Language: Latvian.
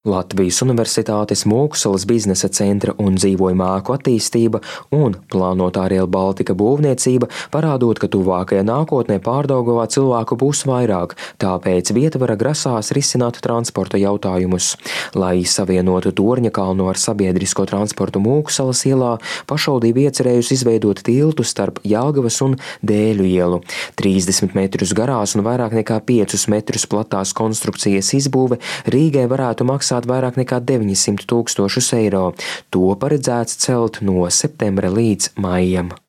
Latvijas Universitātes Mūksalas biznesa centra un dzīvojamā ēku attīstība un plānotā Rail Baltica būvniecība parādot, ka tuvākajā nākotnē Pārdaugavā cilvēku būs vairāk, tāpēc vietvara grasās risināt transporta jautājumus. Lai savienotu Torņakalnu ar sabiedrisko transportu Mūksalas ielā, pašvaldība iecerējusi izveidot tiltu starp Jelgavas un Dēļu ielu. 30 metrus garās un vairāk nekā 5 metrus platās konstrukcijas izbūve Rīgai varētu maksāt vairāk nekā 900 000 eiro. To paredzēts celt no septembra līdz maijam.